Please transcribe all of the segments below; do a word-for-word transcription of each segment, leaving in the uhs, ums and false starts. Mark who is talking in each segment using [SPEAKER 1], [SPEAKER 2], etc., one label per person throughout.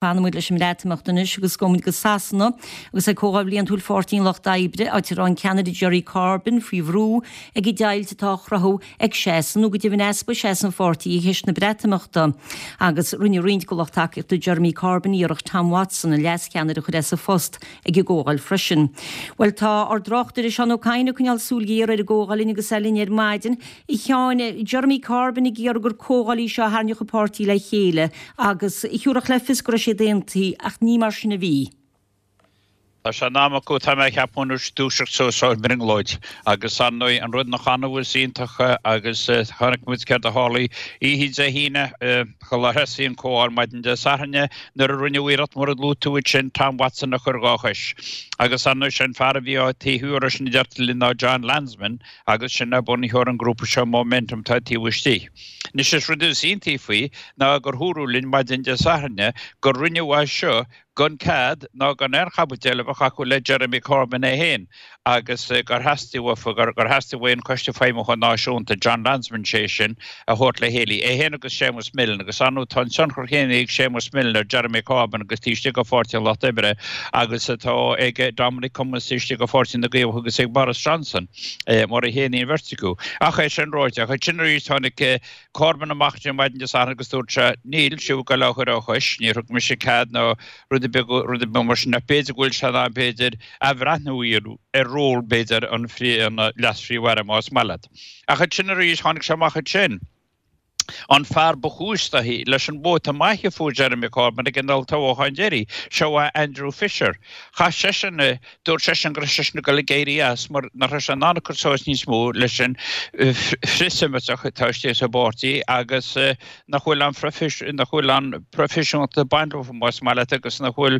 [SPEAKER 1] Fanfaimid leis an mBreatimeacht anois agus gabhfaimid go Sasana agus ag Comhdháil Bhliantúil Pháirtí an Lucht Oibre, áit a raibh an ceannaire Jerry Corbyn faoi bhrú ag an deighilt atá á chruthú ag seasamh nó go deimhin easpa seasamh an pháirtí i gceist na Breatimeachta. Agus rinne roinnt de lucht tacaíochta Jeremy Corbyn iarracht Tom Watson, an leascheannaire a chur as a phost ag an gcomhdháil freisin. Well tá ár dtráchtaire Seán Ó Cadhain ag coinneáil súil ghéar ar an gcomhdháil linn agus é linn ar maidin. A Sheáin, Jeremy Corbyn ag iarraidh gur comhdháil í seo a tharraingeodh an páirtí le chéile agus thabharfadh le fios go raibh siad aontaithe ach ní mar sin a bhí.
[SPEAKER 2] Tá sé in am acu tá mé ag ceapadh anois dúiseacht suas ón mbrionglóid agus ar ndóigh an rud nach annamh is iontach agus chonaic muid céard a tharlaigh oíche Dé hAoine chular thosaigh an comhdháil maidin Dé Sathairn nuair a rinneadh iarracht mar a luaigh tú ansin Tom Watson a chur dhá chois. Agus ar ndóigh sé an fear a bhí á taobh thiar sin a deirtear linn ná Jon Lansman agus sin é bunaitheoir an grúpa seo Momentum atá taobh istigh. Anois is rud is iontaí faoi ná gur dúradh linn maidin Dé Sathairn gur rinneadh é seo gan cead ná gan aon chaibidil a bheith acu le Jeremy Corbyn é féin agus gur theastaigh uafa gur theastaigh uaidh an Coiste Feidhmiúcháin Náisiúnta, Jon Lansman sé sin, a thabhairt le chéile, é féin agus Séamus Milne agus ar ndóigh tá an tionchar céanna ag Séamus Milne ar Jeremy Corbyn agus taobh istigh de Pháirtí an Lucht Oibre agus atá ag Dominic Cummings taobh istigh de Pháirtí na gCaomhach agus ag Boris Johnson mar a chéanna an bheirt acu. Ach é sin ráite, ach ansin arís tháinig Corbyn amach ar maidin Dé Sathairn agus dúirt sé, Níl sibh ag dul á chur á chois, níor thug mise cead ná rud ar bith rud ar bith mar sin ach b'fhéidir go bhfuil sé in am b'fhéidir athbhreathnú a dhéanamh ar ról b'fhéidir an leas-phríomh-aire más maith leat. Ach ansin arís tháinig sé amach ansin. An fear ba chúis léi leis an vóta maith a fuair Jeremy Corbyn ag an olltoghchán deiridh, seo é Andrew Fisher. Chaith seisean, dúirt seisean go raibh seisean ag dul ag éirí as mar nach raibh sé in ann cur suas níos mó leis an frithsheimiteach atá istigh sa bpáirtí agus nach bhfuil an nach bhfuil an proifisiúnta ag baint leo más maith leat agus nach bhfuil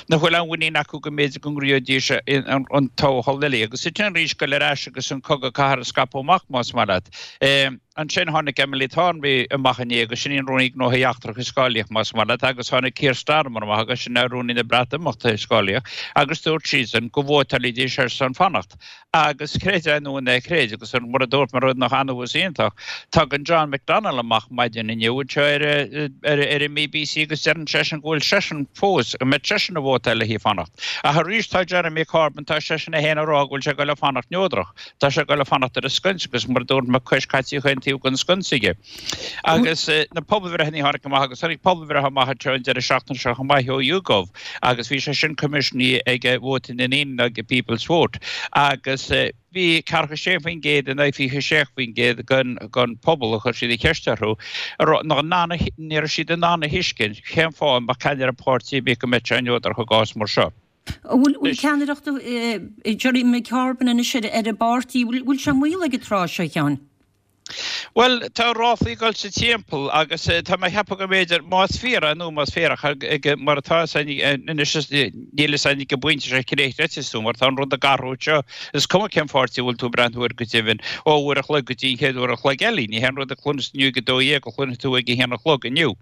[SPEAKER 2] nach bhfuil an mhuinín acu go mb'fhéidir go ngnóthóidís an toghchán eile. Agus ansin arís dul ar ais agus an cogadh cathartha a scaipeadh amach más maith leat. Ansin tháinig Emily Thornberry amach inné agus sin í an Rúnaí Gnóthaí Eachtracha is cáilíoch más maith leat agus tháinig Keir Starmer amach agus sin é Rúnaí na Breatimeachta is cáilíoch agus dúirt siadsan go vótálfaidís ar son fanacht. Agus creid é nó ná creid agus mar a dúirt mé rud nach annamh is iontach, tagann John McDonnell amach maidin inniu anseo ar ar ar an mBBC agus deireann seisean go bhfuil seisean fós go mbeidh seisean ag vótáil le haghaidh fanacht. Ach arís tá Jeremy Corbyn tá seisean é féin ag rá go bhfuil sé ag dul a fanacht neodrach. Tá sé ag dul a fanacht ar an sconsa agus mar a dúirt mé cois cait chaon taobh den sconsa aige. Agus na pobalbhreitheanna a tháinig amach agus tháinig pobalbhreith amach anseo an deireadh seachtaine seo chomh maith ó YouGov agus bhí sé sin coimisiúnaithe ag Vóta na nDaoine ag People's Vote agus bhí ceathracha sé faoin gcéad in aghaidh fiche sé faoin gcéad den den pobal a chuir siad an cheist orthu ní raibh siad in ann a thuiscint cén fáth mbeadh ceannaire páirtí ar bith go mbeadh sé neodrach i gcás mar seo.
[SPEAKER 1] Bhfuil ceannaireacht Jeremy Corbyn anois ar an bpáirtí, bhfuil sé i mbaol ag an tráth seo a Sheáin?
[SPEAKER 2] Bhuel, tá ráflaí ag dul sa timpeall agus tá mé ag ceapadh go mb'fhéidir, más fíor é nó más fíor ach mar atá anois níl fhios againn ag an bpointe seo cé chreidfeas tú mar tá an rud ag athrú anseo. Is cuma cén pháirtí a bhfuil tú ag breathnú air go deimhin, ó uair a chloig go dtí an chéad uair a chloig eile. Ní haon rud a chluineas inniu ag a dó dhéag a chluinfidh tú ag a haon a chlog inniu.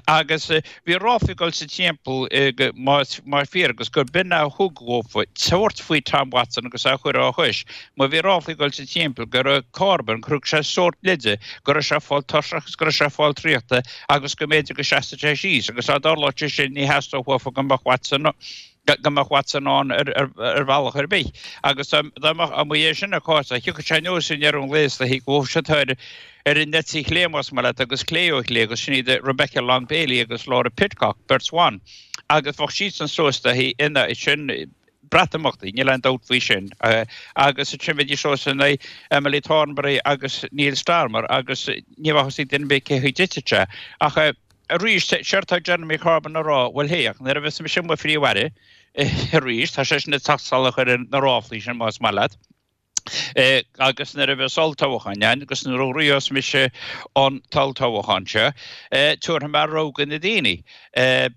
[SPEAKER 2] Agus bhí ráflaí ag dul sa timpeall más fíor agus gur b'in a thug dhófa tabhairt faoi Tom Watson agus é a chur á chois. Má bhí ráflaí ag dul sa timpeall go raibh Corbyn, gur thug sé sórt leide go raibh sé ag fáil tuirseach agus go raibh sé ag fáil traochta agus go mb'fhéidir go seasfadh sé síos agus dá dtarlódh sé sin ní theastódh uafa go mbeadh Watson go mbeadh Watson ann ar ar bhealach ar bith. Agus dá mbeadh amuigh é sin an cás thiocfadh sé anuas i ndeireadh an lae is dóichí go bhfuil siad ar ar an eite chlé más maith leat agus clé ó chlé agus sin iad Rebecca Long Bailey agus Laura Pidcock, beirt bhan. Agus bheadh siadsan suas léi ina sin Breatimeachtaí, níl aon dabht faoi sin. Agus ansin bheidís suas in aghaidh Emily Thornberry agus Neil Starmer agus ní bheadh fhios ag duine ar bith cé chaoi dtitfidh sé. Ach arís, séard tá Jeremy Corbyn a rá, bhuel hé, ach nuair a bheas mise i mo Phríomh-Aire arís, tá seisean ag teacht salach ar na ráflaí sin más maith leat, agus nuair a bheas olltoghchán ann agus nuair a ghnóthós mise an t-olltoghchán seo, tabharfaidh mé rogha do na daoine.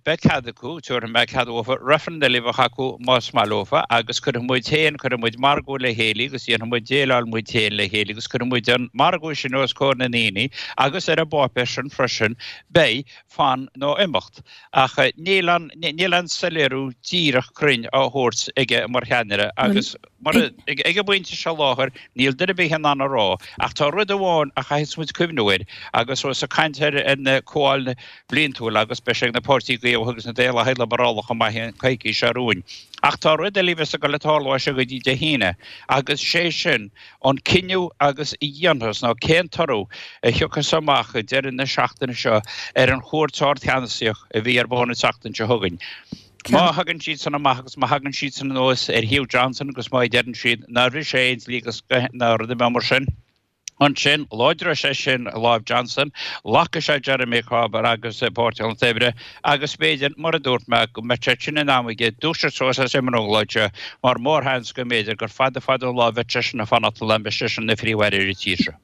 [SPEAKER 2] Beidh cead acu, tabharfaidh mé cead dófa reifreann eile a bheith acu más maith leofa agus cuirfidh muid féin, cuirfidh muid margadh le chéile agus dhéanfaidh muid déileáil muid féin le chéile agus cuirfidh muid an margadh sin os comhair na ndaoine agus ar an bpáipéar sin freisin beidh fan nó imeacht. Ach níl an, níl aon soiléiriú díreach cruinn á thabhairt aige mar cheannaire agus mar, ag an bpointe seo láthair níl duine ar bith in ann a rá, ach tá rud amháin a chaithfidh muid cuimhniú air agus os ag caint ar an comhdháil bhliantúil agus beidh sé ag na páirtí Caomhach agus na Daonlathaigh Liobrálach chomh maith an coicís seo romhainn. Ach tá rud eile a bheas ag dul ag tarlú as seo go dtí Dé hAoine agus sé sin an cinneadh agus a dhéanfas nó cén toradh a thiocfas amach ag deireadh na seachtaine seo ar an chúirt ardcheannasaíoch a bhí ar bun an tseachtain seo chugainn. Má thagann siad san amach agus má thagann siad san anuas ar thaobh Johnson agus má deireann siad nár bhris sé aon dlí agus ná rud ar bith mar sin, ansin láidreoidh sé sin lámh Johnson, lagóidh sé Jeremy Corbyn agus Páirtí an Lucht Oibre agus b'fhéidir, mar a dúirt mé, go mbeidh sé sin in am aige dúiseacht suas as an mbrionglóid seo mar mórsheans go mb'fhéidir gur fada fada an lá a bheidh seisean ag fanacht le mbeidh seisean ina Phríomh-Aire ar an tír seo.